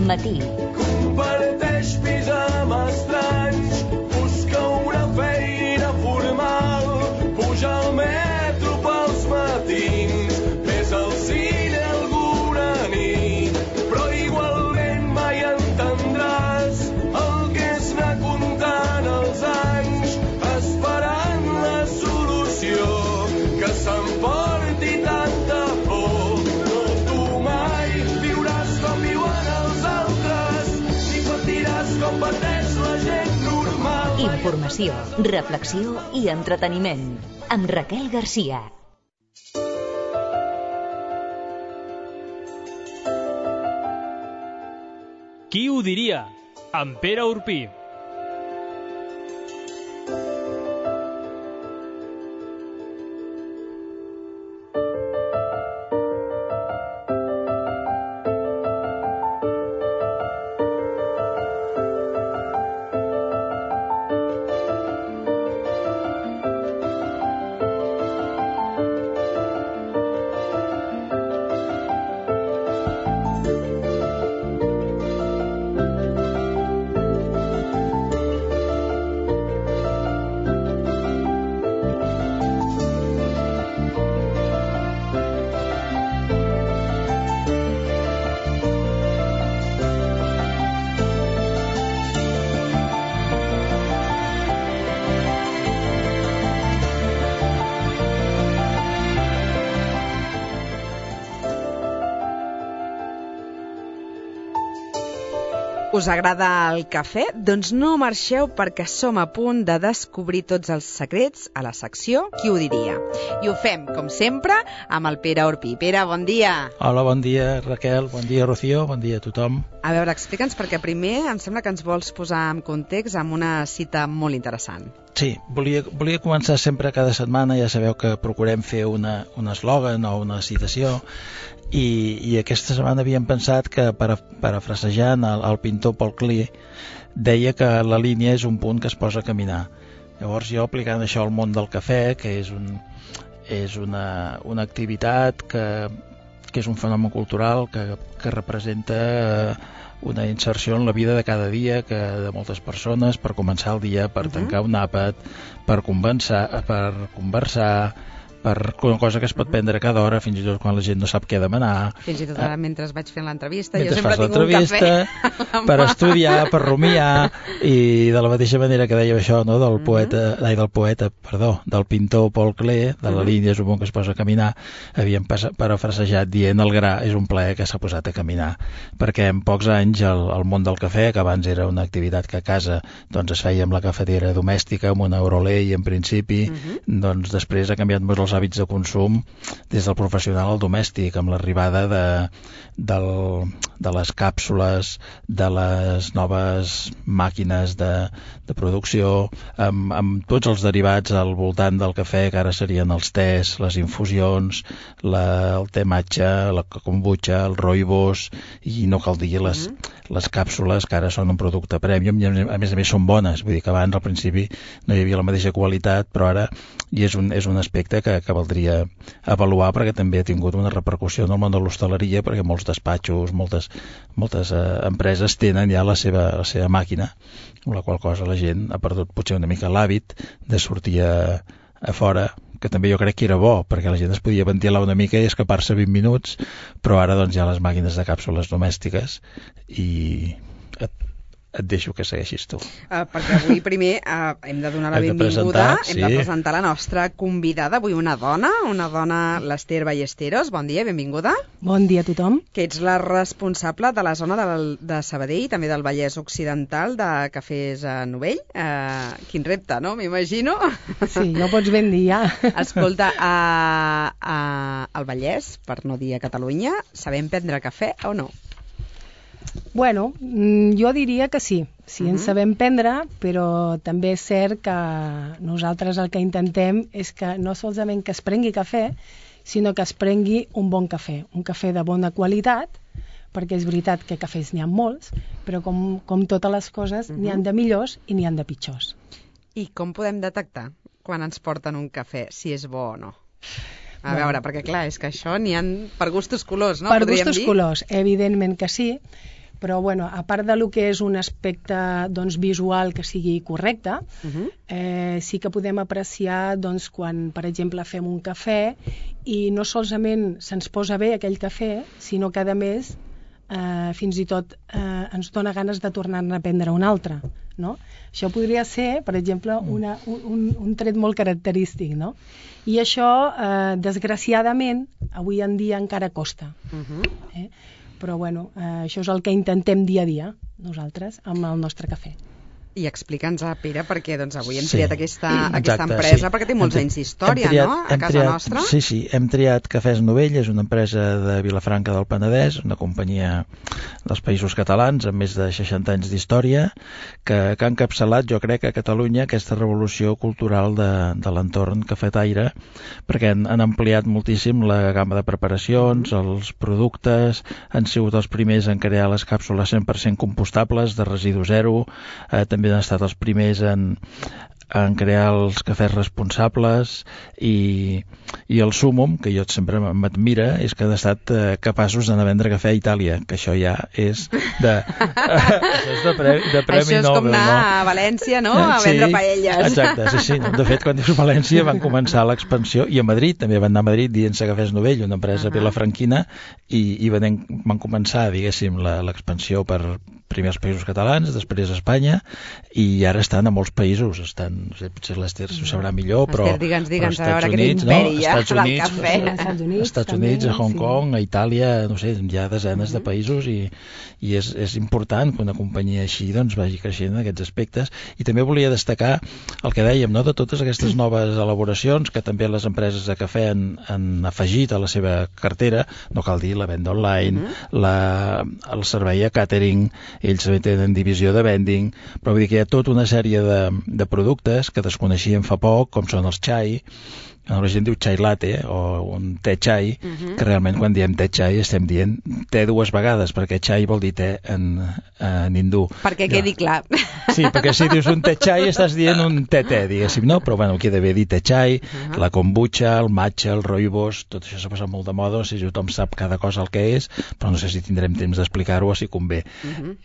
matí. Comparteix pis amb estranys, busca una feina formal, puja al metro pels matins, ves al cine alguna nit, però igualment mai entendràs el que és anar comptant els anys, esperant la solució que s'emporti tanta por. No, tu mai viuràs com viuen els altres, ni patiràs com pateix la gent normal. Informació, reflexió i entreteniment. Amb Raquel Garcia. Qui ho diria? Amb Pere Urpí. Us agrada el cafè? Doncs no marxeu perquè som a punt de descobrir tots els secrets a la secció Qui ho diria? I ho fem, com sempre, amb el Pere Urpí. Pere, bon dia. Hola, bon dia, Raquel, bon dia, Rocío, bon dia a tothom. A veure, explica'ns, perquè primer em sembla que ens vols posar en context amb una cita molt interessant. Sí, volia començar sempre cada setmana, ja sabeu que procurem fer un eslògan o una citació, i aquesta setmana havíem pensat que, parafrasejant el pintor Paul Klee, deia que la línia és un punt que es posa a caminar. Llavors jo, aplicant això al món del cafè, que és una activitat que és un fenomen cultural que representa una inserció en la vida de cada dia de moltes persones, per començar el dia, per tancar un àpat, per conversar, per una cosa que es pot prendre cada hora, fins i tot quan la gent no sap què demanar. Fins i tot ara, mentre vaig fent l'entrevista, jo mentre sempre fas tinc un cafè. Per estudiar, per rumiar, i de la mateixa manera que dèiem això, no, del pintor Paul Klee, de la línia és un bon que es posa a caminar, havíem parafrasejat dient el gra és un plaer que s'ha posat a caminar, perquè en pocs anys el món del cafè, que abans era una activitat que a casa doncs es feia amb la cafetera domèstica, amb una Orolei en principi, doncs després ha canviat molt els hàbits de consum des del professional al domèstic, amb l'arribada de les càpsules, de les noves màquines de producció, amb tots els derivats al voltant del cafè, que ara serien els tés, les infusions, el te matcha, la kombucha, el rooibos, i no cal dir les càpsules, que ara són un producte premium i a més són bones. Vull dir que abans al principi no hi havia la mateixa qualitat, però ara és un aspecte que valdria avaluar, perquè també ha tingut una repercussió en el món de l'hostaleria, perquè molts despatxos, moltes empreses tenen ja la seva màquina, amb la qual cosa la gent ha perdut potser una mica l'hàbit de sortir a fora, que també jo crec que era bo, perquè la gent es podia ventilar una mica i escapar-se 20 minuts, però ara doncs hi ha les màquines de càpsules domèstiques i et deixo que segueixis tu. Perquè avui primer hem de donar la benvinguda, hem de presentar la nostra convidada, avui una dona, l'Ester Ballesteros. Bon dia, benvinguda. Bon dia a tothom. Que ets la responsable de la zona de Sabadell, també del Vallès Occidental, de Cafès Novell. Quin repte, no? M'imagino. Sí, ja ho pots ben dir, ja. Escolta, al Vallès, per no dir a Catalunya, sabem prendre cafè o no? Bueno, jo diria que sí en sabem prendre, però també és cert que nosaltres el que intentem és que no solament que es prengui cafè, sinó que es prengui un bon cafè, un cafè de bona qualitat, perquè és veritat que cafès n'hi ha molts, però com totes les coses, n'hi ha de millors i n'hi ha de pitjors. I com podem detectar quan ens porten un cafè, si és bo o no? A veure, perquè clar, és que això n'hi ha per gustos colors, no? Per gustos colors, evidentment que sí, Però, bueno, a part de lo que és un aspecte doncs, visual que sigui correcte, sí que podem apreciar doncs, quan, per exemple, fem un cafè i no solament se'ns posa bé aquell cafè, sinó que, a més, fins i tot ens dona ganes de tornar-ne a prendre un altre, no? Això podria ser, per exemple, un tret molt característic, no? I això, desgraciadament, avui en dia encara costa. Però, bueno, això és el que intentem dia a dia, nosaltres, amb el nostre cafè. I explica'ns, Pere, perquè doncs, avui hem Sí. triat aquesta Exacte, empresa, sí. perquè té molts anys d'història, no?, a casa nostra. Sí, hem triat Cafès Novell, és una empresa de Vilafranca del Penedès, una companyia dels Països Catalans amb més de 60 anys d'història, que ha encapçalat, jo crec, a Catalunya aquesta revolució cultural de l'entorn cafetaire, perquè han ampliat moltíssim la gamma de preparacions, els productes, han sigut els primers en crear les càpsules 100% compostables, de residu zero, també han estat els primers en crear els cafès responsables i el súmum, que jo sempre m'admira, és que han estat capaços d'anar a vendre cafè a Itàlia, que això ja és de premi això és Nobel, com anar a València, no?, a vendre paelles. Exacte, sí. De fet, quan dius València van començar l'expansió, i a Madrid, també van anar a Madrid dient-se Cafès Novell, una empresa vilafranquina, i van començar, diguéssim, l'expansió per primer als Països Catalans, després a Espanya, i ara estan a molts països. Estan, no sé, potser l'Ester s'ho sabrà millor, però digue'ns, a a veure Estats Units, aquest imperi ja del cafè. als Estats Units, a Hong Kong, a Itàlia, no sé, hi ha desenes de països i és important que una companyia així doncs vagi creixent en aquests aspectes. I també volia destacar el que dèiem, no?, de totes aquestes noves elaboracions que també les empreses de cafè han afegit a la seva cartera, no cal dir, la venda online, el servei a catering, ells també tenen divisió de vending, però vull dir que hi ha tota una sèrie de productes que desconeixíem fa poc, com són els xai, la gent diu xai latte o un te xai, que realment quan diem te xai estem dient te dues vegades, perquè xai vol dir te en hindú. Perquè quedi clar. Sí, perquè si dius un te xai estàs dient un te, diguéssim, no? Però bueno, queda bé dir te xai, la kombucha, el matcha, el rooibos, tot això s'ha passat molt de moda, no sé si tothom sap cada cosa el que és, però no sé si tindrem temps d'explicar-ho o si convé.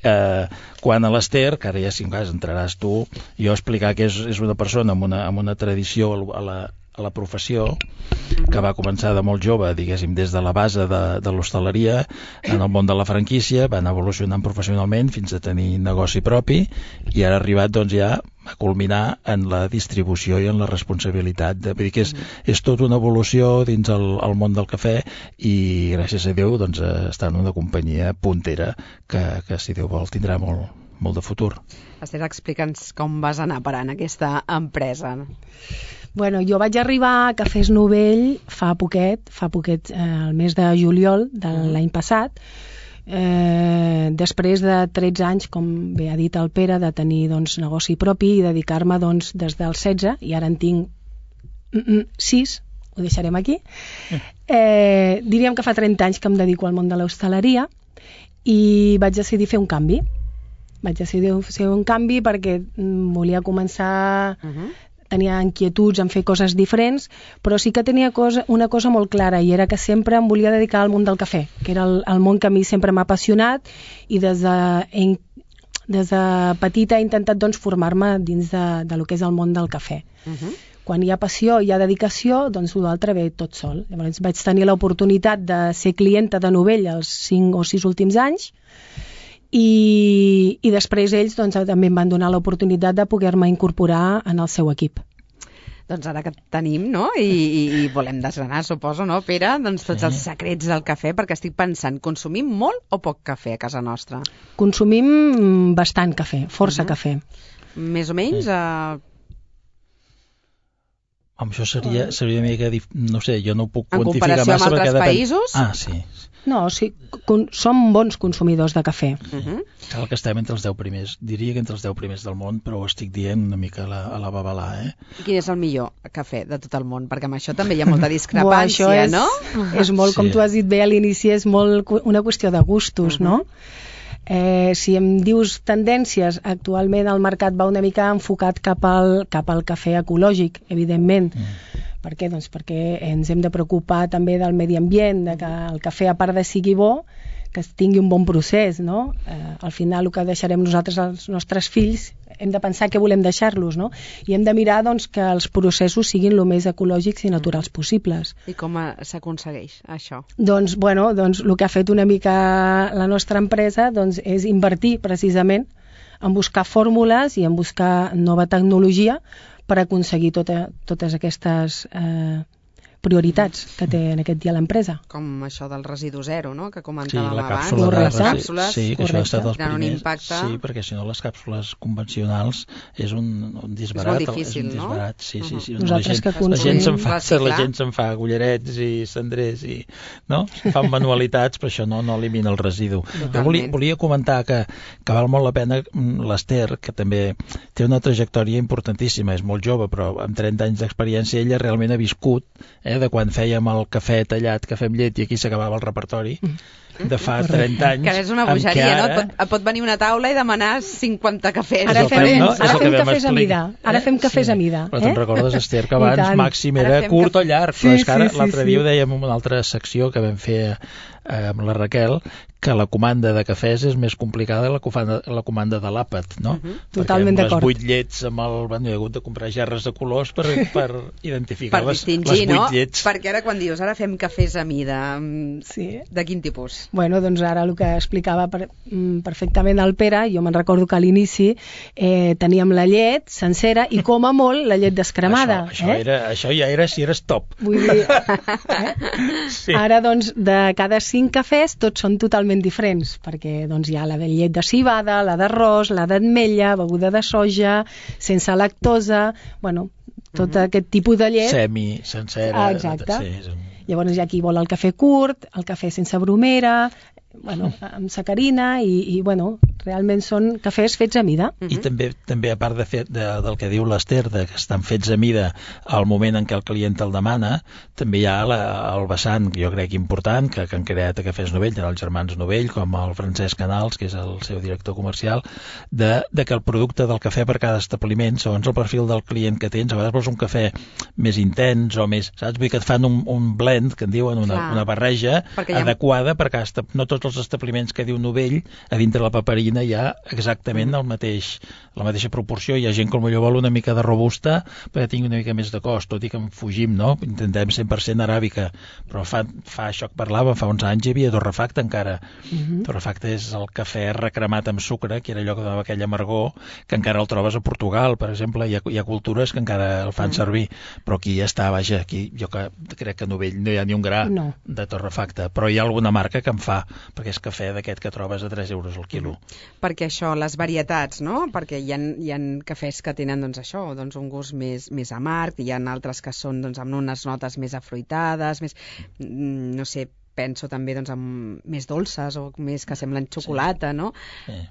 Quan a l'Ester, que ara ja si entraràs tu, jo explicar que és una persona amb una tradició a la professió, que va començar de molt jove, diguéssim, des de la base de l'hostaleria, en el món de la franquícia, va anar evolucionant professionalment fins a tenir negoci propi, i ara ha arribat doncs ja a culminar en la distribució i en la responsabilitat. Vull dir que és tota una evolució dins el món del cafè, i gràcies a Déu doncs està en una companyia puntera que si Déu vol tindrà molt de futur. Esther, explica'ns com vas anar parant aquesta empresa. Bueno, jo vaig arribar a Cafès Novell fa poquet, el mes de juliol de l'any passat, després de 13 anys, com bé ha dit el Pere, de tenir doncs, negoci propi i dedicar-me doncs, des dels 16, i ara en tinc 6, ho deixarem aquí. Diríem que fa 30 anys que em dedico al món de l'hostaleria i vaig decidir fer un canvi. Perquè volia començar... Tenia inquietuds en fer coses diferents, però sí que tenia una cosa molt clara, i era que sempre em volia dedicar al món del cafè, que era el món que a mi sempre m'ha apassionat, i des de petita he intentat doncs, formar-me dins de lo que és el món del cafè. Quan hi ha passió, hi ha dedicació, doncs l'altre ve tot sol. Llavors vaig tenir l'oportunitat de ser clienta de Novell els 5 o 6 últims anys, i després ells doncs, també em van donar l'oportunitat de poder-me incorporar en el seu equip. Doncs ara que tenim, no?, i volem desgranar, suposo, no, Pere, doncs tots els secrets del cafè, perquè estic pensant, consumim molt o poc cafè a casa nostra? Consumim bastant cafè, força cafè. Més o menys? Això seria una mica... No sé, jo no ho puc quantificar massa. En comparació amb altres països? Ah, sí. No, sí, som bons consumidors de cafè. Cal que estem entre els 10 primers. Diria que entre els 10 primers del món, però ho estic dient una mica a la babalà, I quin és el millor cafè de tot el món? Perquè amb això també hi ha molta discrepància, no? És molt, com tu has dit bé a l'inici, és molt una qüestió de gustos, no? Si em dius tendències, actualment el mercat va una mica enfocat cap al cafè ecològic, evidentment. Per què? Doncs perquè ens hem de preocupar també del medi ambient, de que el cafè, a part de sigui bo, que tingui un bon procés, no? Al final el que deixarem nosaltres als nostres fills hem de pensar què volem deixar-los, no? I hem de mirar doncs, que els processos siguin el més ecològics i naturals possibles. I com s'aconsegueix això? Doncs el que ha fet una mica la nostra empresa doncs, és invertir precisament en buscar fórmules i en buscar nova tecnologia per aconseguir totes aquestes prioritats que té en aquest dia l'empresa. Com això del residu zero, no?, que comentàvem la abans. càpsula Correcte. de Càpsules, sí, que això ha estat els tenen un primers. impacte. Sí, perquè si no les càpsules convencionals és un disbarat. És molt difícil, és un disbarat, no? Sí, sí, sí. Nosaltres que la gent reciclar. la gent se'n fa cullerets i cendrers i, no? Fan manualitats, però això no elimina el residu. Jo volia comentar que val molt la pena l'Ester, que també té una trajectòria importantíssima, és molt jove, però amb 30 anys d'experiència ella realment ha viscut, de quan fèiem el cafè tallat, cafè amb llet, i aquí s'acabava el repertori, de fa 30 anys. Que és una bogeria, no? Pot venir una taula i demanar 50 cafès. Ara fem cafès a mida. Ara fem cafès a mida. Però te'n recordes, Ester, que abans màxim era curt o llarg, però és que ara l'altre dia ho dèiem en una altra secció que vam fer amb la Raquel, que la comanda de cafès és més complicada que la comanda de l'àpat, no? Totalment d'acord. Perquè amb les 8 llets, he hagut de comprar gerres de colors per identificar les 8 llets. Perquè ara quan dius, ara fem cafès a mida, de quin tipus? Bueno, doncs ara el que explicava perfectament el Pere, jo me'n recordo que a l'inici teníem la llet sencera i com a molt la llet descremada. Això ja era si eres top. Vull dir, ara doncs de cada 5 cafès tots són totalment diferents, perquè doncs, hi ha la de llet de civada, la d'arròs, la d'ametlla, beguda de soja, sense lactosa, tot aquest tipus de llet. Semi, sencera. Exacte. Sí, llavors hi ha qui vol el cafè curt, el cafè sense bromera, amb sacarina i realment són cafès fets a mida. I també a part del que diu l'Ester, que estan fets a mida al moment en què el client el demana, també hi ha el vessant, jo crec important, que han creat a Cafès Novell, tant els germans Novell com el Francesc Canals, que és el seu director comercial, de que el producte del cafè per cada establiment, segons el perfil del client que tens, a vegades vols un cafè més intens o més, saps? Vull que et fan un blend, que en diuen, una barreja adequada per cada no tots els establiments que diu Novell, a dintre la paperina hi ha exactament la mateixa proporció. Hi ha gent que potser vol una mica de robusta perquè tingui una mica més de cost, tot i que en fugim, no? Intentem 100% aràbica, però fa això que parlàvem, fa uns anys hi havia torrefacte encara. Torrefacte és el cafè recremat amb sucre, que era allò que donava aquell amargor, que encara el trobes a Portugal, per exemple. Hi ha cultures que encara el fan servir, però aquí ja està, aquí jo crec que a Novell no hi ha ni un gra de torrefacte, però hi ha alguna marca que en fa, perquè és cafè d'aquest que trobes a 3 euros al quilo. Perquè això, les varietats, no? Perquè hi ha cafès que tenen un gust més amarg, hi ha altres que són amb unes notes més afruitades, més, no sé, penso també amb més dolces o més que semblen xocolata, no? Sí.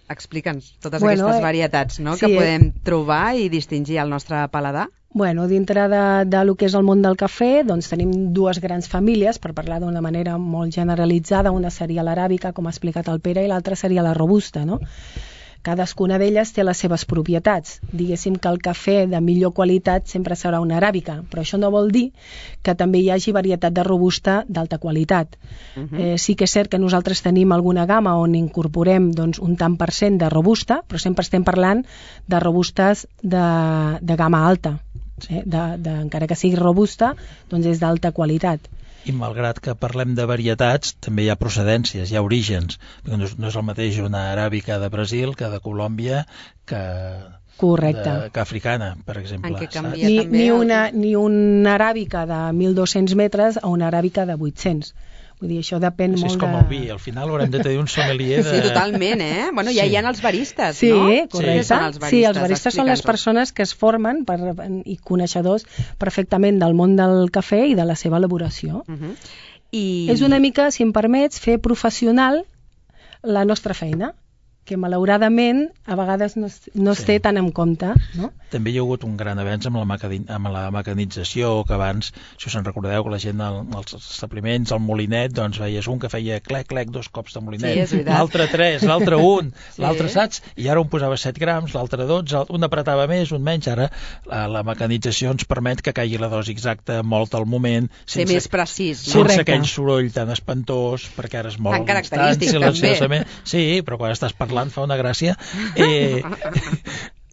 Explica'ns totes aquestes varietats, no? Que podem trobar i distingir al nostre paladar. Dintre de lo que és el món del cafè, doncs tenim dues grans famílies, per parlar d'una manera molt generalitzada. Una seria l'aràbica, com ha explicat el Pere, i l'altra seria la robusta, no? Cadascuna d'elles té les seves propietats. Diguéssim que el cafè de millor qualitat sempre serà una aràbica, però això no vol dir que també hi hagi varietat de robusta d'alta qualitat. Sí que és cert que nosaltres tenim alguna gamma on incorporem un tant per cent de robusta, però sempre estem parlant de robustes de gamma alta. Encara que sigui robusta, doncs és d'alta qualitat. I malgrat que parlem de varietats, també hi ha procedències, hi ha orígens. No és el mateix una aràbica de Brasil que de Colòmbia que africana, per exemple. Ni una aràbica de 1.200 metres a una aràbica de 800. Vull dir, això depèn molt de... És com el vi, al final haurem de tenir un sommelier de... Sí, totalment, Bueno, ja hi ha els baristes, no? Correcte. Sí, els baristes són les persones que es formen i coneixedors perfectament del món del cafè i de la seva elaboració. És una mica, si em permets, fer professional la nostra feina. que malauradament a vegades no es té tan en compte, no? També hi ha hagut un gran avenç amb la mecanització, que abans, si us en recordeu, que la gent als establiments, al molinet, doncs veies un que feia clec, 2 cops de molinet, l'altre 3, l'altre 1, l'altre, saps? I ara un posava 7 grams, l'altre 12, un apretava més, un menys. Ara la mecanització ens permet que caigui la dosi exacta, molt al moment, ser més precís, sense aquell soroll tan espantós, perquè ara és molt tan característic, també. Sí, però quan estàs parlant fa una gràcia.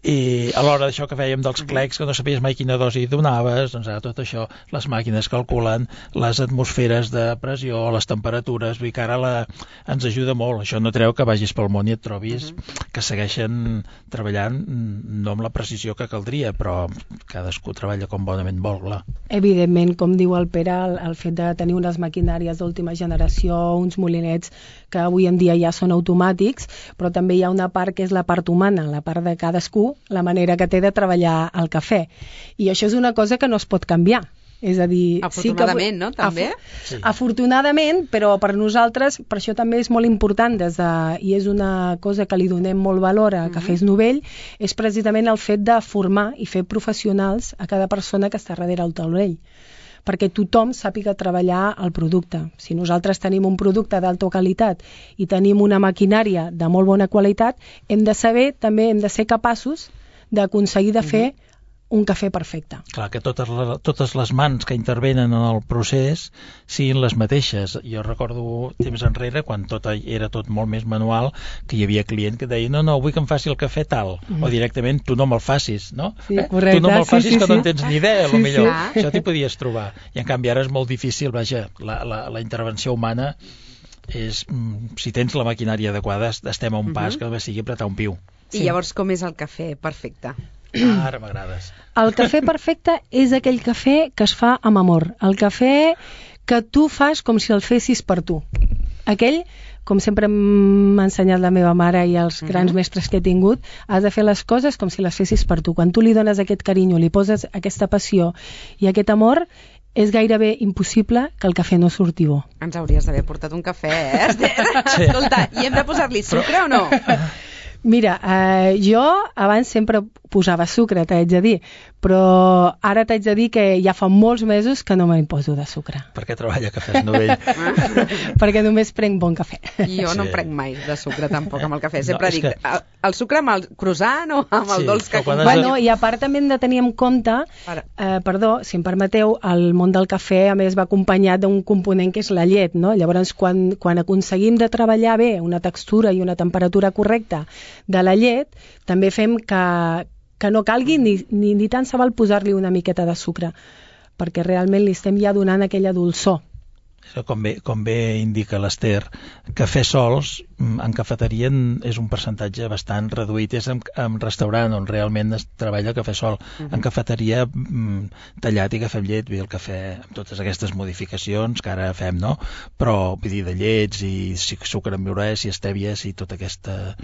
I a l'hora d'això que fèiem dels clecs, que no sabies mai quina dosi donaves, doncs ara tot això, les màquines calculen les atmosferes de pressió, les temperatures, vull dir que ara ens ajuda molt. Això no treu que vagis pel món i et trobis que segueixen treballant no amb la precisió que caldria, però cadascú treballa com bonament vol, clar. Evidentment, com diu el Pere, el fet de tenir unes maquinàries d'última generació, uns molinets que avui en dia ja són automàtics, però també hi ha una part que és la part humana, la part de cadascú, la manera que té de treballar el cafè. I això és una cosa que no es pot canviar. És a dir, afortunadament, no? També? Sí. Afortunadament, però per nosaltres, per això també és molt important, i és una cosa que li donem molt valor a Cafès Novell, és precisament el fet de formar i fer professionals a cada persona que està darrere el taulell, perquè tothom sàpiga treballar el producte. Si nosaltres tenim un producte d'alta qualitat i tenim una maquinària de molt bona qualitat, hem de ser capaços d'aconseguir de fer un cafè perfecte. Clar, que totes les mans que intervenen en el procés siguin les mateixes. Jo recordo temps enrere, quan era tot molt més manual, que hi havia client que deia no, vull que em faci el cafè tal, o directament tu no me'l facis, no? Sí, correcte. Tu no me'l facis, que no en tens ni idea, potser. Això t'hi podies trobar. I en canvi ara és molt difícil, vaja, la intervenció humana és, si tens la maquinària adequada, estem a un pas que només sigui apretar un piu. I llavors com és el cafè perfecte? Ara m'agrades. El cafè perfecte és aquell cafè que es fa amb amor. El cafè que tu fas com si el fessis per tu. Aquell, com sempre m'ha ensenyat la meva mare i els grans mestres que he tingut, has de fer les coses com si les fessis per tu. Quan tu li dones aquest carinyo, li poses aquesta passió i aquest amor, és gairebé impossible que el cafè no surti bo. Ens hauries d'haver portat un cafè, Esther? Sí. Escolta, i hem de posar-li sucre o no? Mira, jo abans sempre posava sucre, t'haig de dir, però ara t'haig de dir que ja fa molts mesos que no me'n poso de sucre. Perquè treballa a Cafès Novell. Perquè només prenc bon cafè. Jo no prenc mai de sucre tampoc amb el cafè. Sempre dic, el sucre amb el croissant o amb el dolç que acompanya. Bueno, i a part també hem de tenir en compte, si em permeteu, el món del cafè a més va acompanyat d'un component que és la llet, no? Llavors, quan aconseguim de treballar bé una textura i una temperatura correcta de la llet, també fem que no calgui ni tant se val posar-li una miqueta de sucre, perquè realment li estem ja donant aquella dolçor. Com bé indica l'Ester, cafè sols en cafeteria és un percentatge bastant reduït, és en restaurant on realment es treballa el cafè sol. En cafeteria tallat i cafè amb llet, el cafè amb totes aquestes modificacions que ara fem, no? Però vull dir, de llets i sucre amb llorès i estèvies i tota aquesta,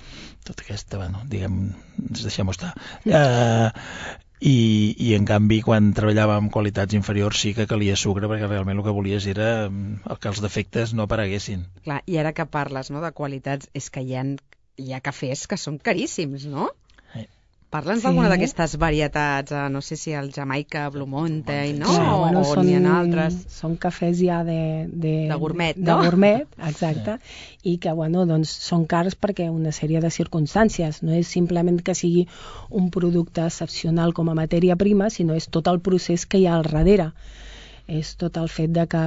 bueno, diguem, deixem-ho estar. I en canvi quan treballava amb qualitats inferiors sí que calia sucre, perquè realment el que volies era que els defectes no apareguessin. Clar, i ara que parles, no, de qualitats, és que hi ha cafès que són caríssims, no? Parla'ns d'alguna d'aquestes varietats, no sé si el Jamaica, Blue Mountain, no? O n'hi ha altres. Són cafès ja de gourmet, no? De gourmet, exacte, i que, bueno, doncs són cars perquè una sèrie de circumstàncies. No és simplement que sigui un producte excepcional com a matèria prima, sinó és tot el procés que hi ha al darrere. És tot el fet de que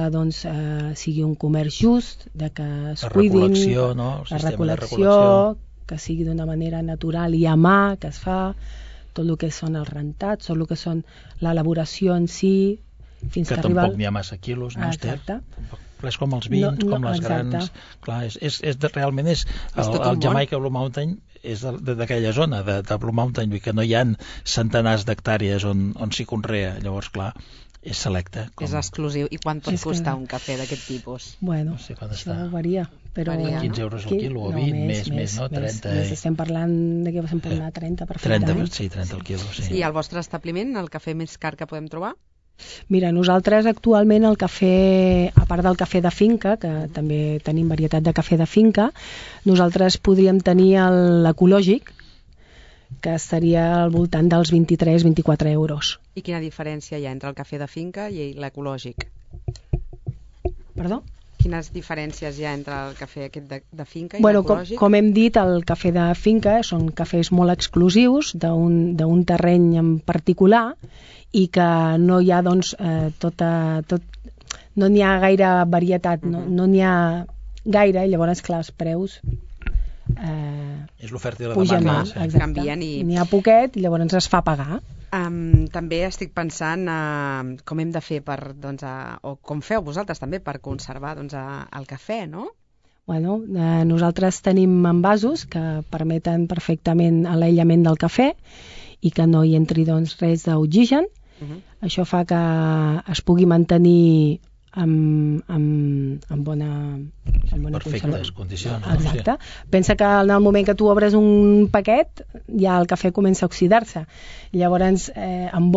sigui un comerç just, de que es cuidin, la recol·lecció, que sigui d'una manera natural i a mà, que es fa, tot el que són els rentats, tot el que són l'elaboració en si, fins que arriba... Que tampoc n'hi ha massa quilos, no, Esther? És com els vins, com les grans... Clar, realment és... El Jamaica Blue Mountain és d'aquella zona, de Blue Mountain, que no hi ha centenars d'hectàrees on s'hi conrea, llavors, clar, és selecte. És exclusiu. I quant pot costar un cafè d'aquest tipus? Bueno, això varia. Però 15 euros al quilo o 20, més, no? 30. Estem parlant de què vam parlar, 30 perfectament. 30 al quilo, sí. I al vostre establiment, el cafè més car que podem trobar? Mira, nosaltres actualment el cafè, a part del cafè de finca, que també tenim varietat de cafè de finca, nosaltres podríem tenir l'ecològic, que estaria al voltant dels 23-24 euros. I quina diferència hi ha entre el cafè de finca i l'ecològic? Perdó? Quines diferències hi ha entre el cafè aquest de finca i l'ecològic? Com hem dit, el cafè de finca són cafès molt exclusius d'un terreny en particular i que no hi ha, doncs, no n'hi ha gaire varietat, no n'hi ha gaire, i llavors, clar, els preus és l'oferta i la pugen demanda. molt, canvien i... N'hi ha poquet i llavors es fa pagar. També estic pensant com hem de fer o com feu vosaltres també per conservar el cafè, no? Bueno, nosaltres tenim envasos que permeten perfectament l'aïllament del cafè i que no hi entri res d'oxigen. Això fa que es pugui mantenir en bona perfectes condicions. Exacte. Pensa que en el moment que tu obres un paquet ja el cafè comença a oxidar-se. Llavors, un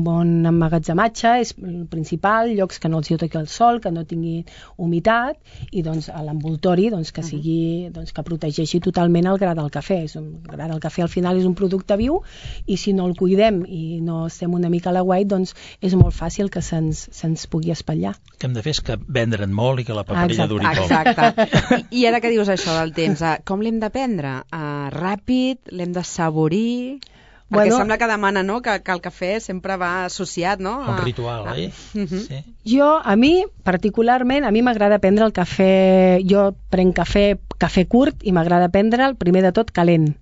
bon emmagatzematge és el principal, llocs que no els hi toqui el sol, que no tingui humitat, i doncs l'envoltori que sigui, que protegeixi totalment el gra del cafè. El gra del cafè al final és un producte viu i si no el cuidem i no estem una mica a l'aguait, doncs és molt fàcil que se'ns pugui espatllar. Que hem de fer és que vendre'n molt i que la paperilla duri poc. Exacte. I ara que dius això del temps, com l'hem de prendre? Ràpid? L'hem de saborir? Perquè sembla que demana, no?, que el cafè sempre va associat, no? Un ritual, oi? Sí. A mi, particularment, m'agrada prendre el cafè... Jo prenc cafè curt i m'agrada prendre'l, primer de tot, calent.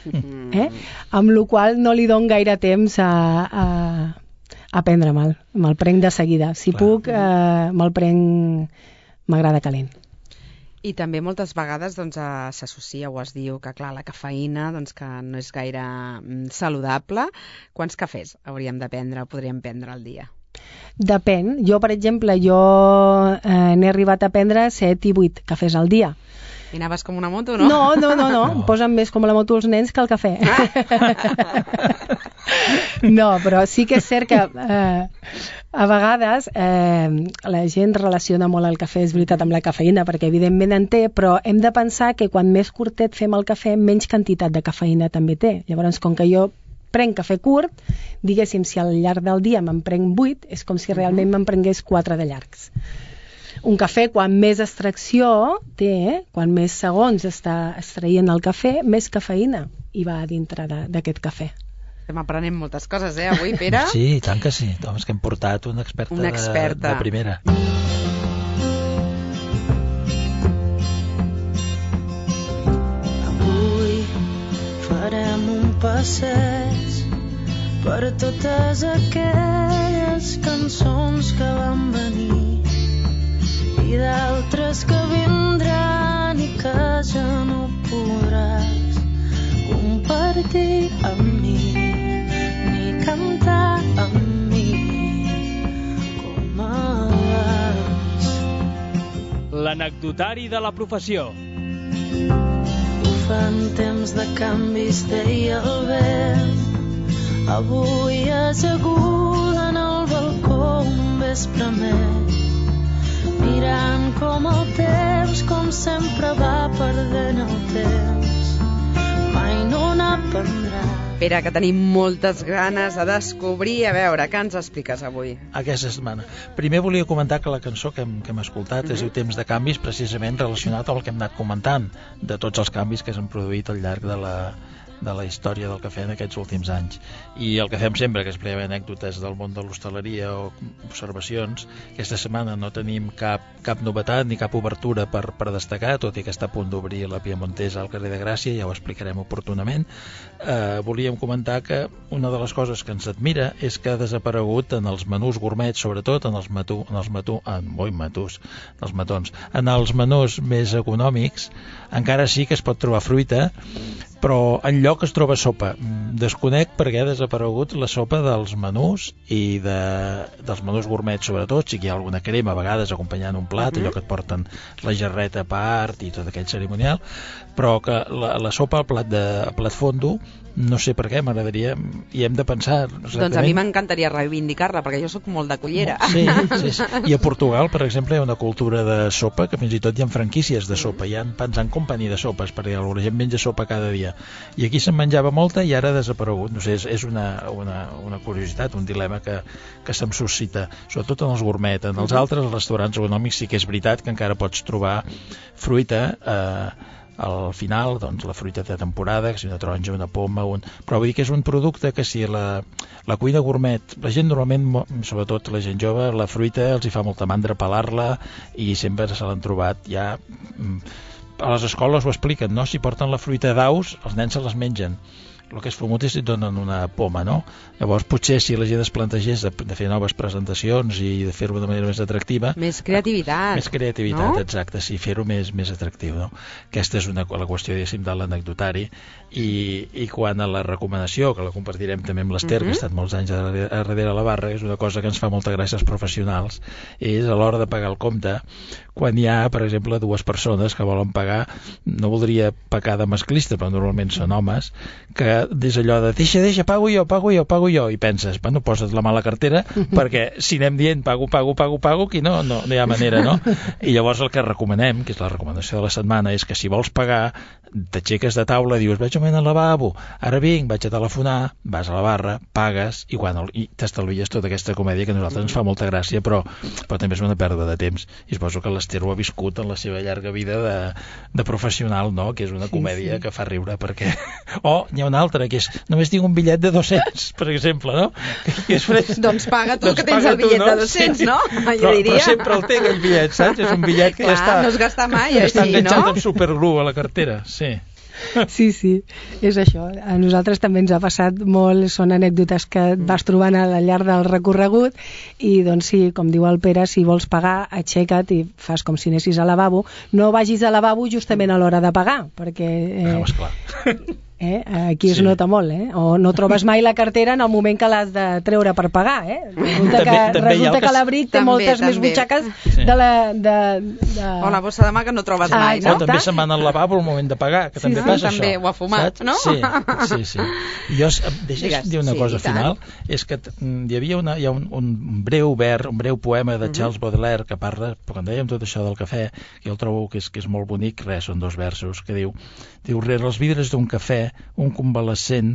Amb la qual cosa no li dono gaire temps a prendre me'l prenc de seguida. Si puc, me'l prenc... M'agrada calent. I també moltes vegades s'associa o es diu que, clar, la cafeïna que no és gaire saludable. Quants cafès hauríem de prendre o podríem prendre al dia? Depèn. Jo, per exemple, n'he arribat a prendre 7 i 8 cafès al dia. I anaves com una moto, no? No. Em posen més com la moto els nens que el cafè. No, però sí que és cert que a vegades la gent relaciona molt el cafè, és veritat, amb la cafeïna, perquè evidentment en té, però hem de pensar que quan més curtet fem el cafè, menys quantitat de cafeïna també té. Llavors, com que jo prenc cafè curt, diguéssim, si al llarg del dia me'n prenc 8, és com si realment me'n prengués 4 de llargs. Un cafè, quan més extracció té, quan més segons està extraient el cafè, més cafeïna hi va dintre d'aquest cafè. Estem aprenent moltes coses, avui, Pere? Sí, i tant que sí. És que hem portat una experta de primera. Avui farem un passeig per totes aquelles cançons que van venir i d'altres que vindran i que ja no podràs compartir amb mi ni cantar amb mi com abans. L'anecdotari de la professió. Fan temps de canvis, deia el vent. Avui ajaguda en el balcó un vespre més, mirant com el temps, com sempre, va perdent el temps. Mai no n'aprendrà. Pere, que tenim moltes ganes de descobrir. A veure, què ens expliques avui? Aquesta setmana. Primer volia comentar que la cançó que hem escoltat es diu Temps de canvis, precisament relacionat amb el que hem anat comentant, de tots els canvis que s'han produït al llarg de la història del cafè en aquests últims anys. I el que fem sempre, que és explicar anècdotes del món de l'hostaleria o observacions, aquesta setmana no tenim cap novetat ni cap obertura per destacar, tot i que està a punt d'obrir la Piemontesa al carrer de Gràcia, ja ho explicarem oportunament. Volíem comentar que una de les coses que ens admira és que ha desaparegut en els menús gourmet, sobretot en els matons, en els menús més econòmics, encara sí que es pot trobar fruita, però enlloc es troba sopa. Desconec perquè ha desaparegut la sopa dels menús i dels menús gourmet, sobretot, sí que hi ha alguna crema a vegades acompanyant un plat, allò que et porten la jarreta a part i tot aquell cerimonial, però que la sopa al plat fondo, no sé per què, m'agradaria, i hem de pensar exactament. Doncs a mi m'encantaria reivindicar-la, perquè jo sóc molt de cullera. Sí. I a Portugal, per exemple, hi ha una cultura de sopa, que fins i tot hi ha franquícies de sopa, hi ha Pans and Company de sopes, perquè la gent menja sopa cada dia. I aquí se'n menjava molta i ara ha desaparegut. No sé, és una curiositat, un dilema que se'm suscita, sobretot en els gourmet. En els altres, els restaurants econòmics, sí que és veritat que encara pots trobar fruita al final, doncs la fruita de temporada, que si una taronja, una poma, però vull dir que és un producte que si la cuina gourmet, la gent normalment, sobretot la gent jove, la fruita els hi fa molta mandra pelar-la i sempre se l'han trobat ja... A les escoles ho expliquen, no? Si porten la fruita d'aus, els nens se les mengen. El que és fumut és si et donen una poma, no? Llavors potser si la gent es plantegés de fer noves presentacions i de fer-ho de manera més atractiva... Més creativitat. Més creativitat, no? Exacte, sí, fer-ho més atractiu, no? Aquesta és la qüestió, diguéssim, de l'anecdotari. I quan a la recomanació, que la compartirem també amb l'Ester, que ha estat molts anys darrere la barra, és una cosa que ens fa molta gràcia als professionals, és a l'hora de pagar el compte, quan hi ha, per exemple, dues persones que volen pagar, no voldria pecar de masclista, però normalment són homes, que des allò de deixa, pago jo, i penses, bueno, posa't la mà a la cartera, perquè si anem dient pago, aquí no hi ha manera, no? I llavors el que recomanem, que és la recomanació de la setmana, és que si vols pagar, t'aixeques de taula, dius, vaig al lavabo, ara vinc, vaig a telefonar, vas a la barra, pagues, i t'estalvies tota aquesta comèdia que a nosaltres ens fa molta gràcia, però també és una pèrdua de temps. I suposo que l'Ester ho ha viscut en la seva llarga vida de professional, no? Que és una comèdia que fa riure, perquè... n'hi ha una altra, que és, només tinc un bitllet de 200, per exemple, no? Que és doncs paga tu, que tens el bitllet de 200, no? Jo diria. Però sempre el té, aquell bitllet, saps? És un bitllet que ja està... no es gasta mai, ja està enganxat amb superglue a la cartera, sí. Sí, és això. A nosaltres també ens ha passat molt, són anècdotes que et vas trobant al llarg del recorregut i doncs sí, com diu el Pere, si vols pagar, aixeca't i fas com si anessis al lavabo. No vagis al lavabo justament a l'hora de pagar, perquè... esclar. Aquí es nota molt, o no trobes mai la cartera en el moment que l'has de treure per pagar, resulta que l'abric té moltes més butxaques de la... O la bossa de mà que no trobes mai, no? O també se'n van al lavabo al moment de pagar, que també passa també això. Ho ha fumat, no? Sí. Jo, deixa'm dir una cosa final, és que hi ha un breu poema de Charles Baudelaire que parla, quan dèiem tot això del cafè, que jo el trobo que és molt bonic, són 2 versos, que diu, rere els vidres d'un cafè, un convalescent,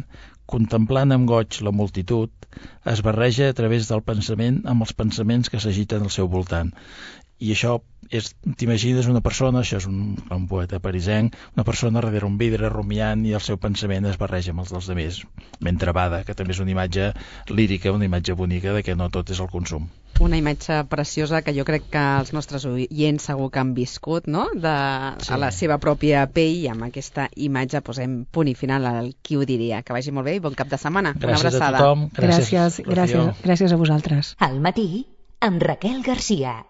contemplant amb goig la multitud, es barreja a través del pensament amb els pensaments que s'agiten al seu voltant. I això t'imagines una persona, això és un poeta parisenc, una persona darrere un vidre rumiant i el seu pensament es barreja amb els dels altres, mentre bada, que també és una imatge lírica, una imatge bonica de que no tot és el consum. Una imatge preciosa que jo crec que els nostres oients segur que han viscut, no? A la seva pròpia pell, i amb aquesta imatge posem punt i final al Qui ho diria. Que vagi molt bé i bon cap de setmana. Gràcies una abraçada. A tothom. Gràcies a vosaltres. Al matí, amb Raquel Garcia.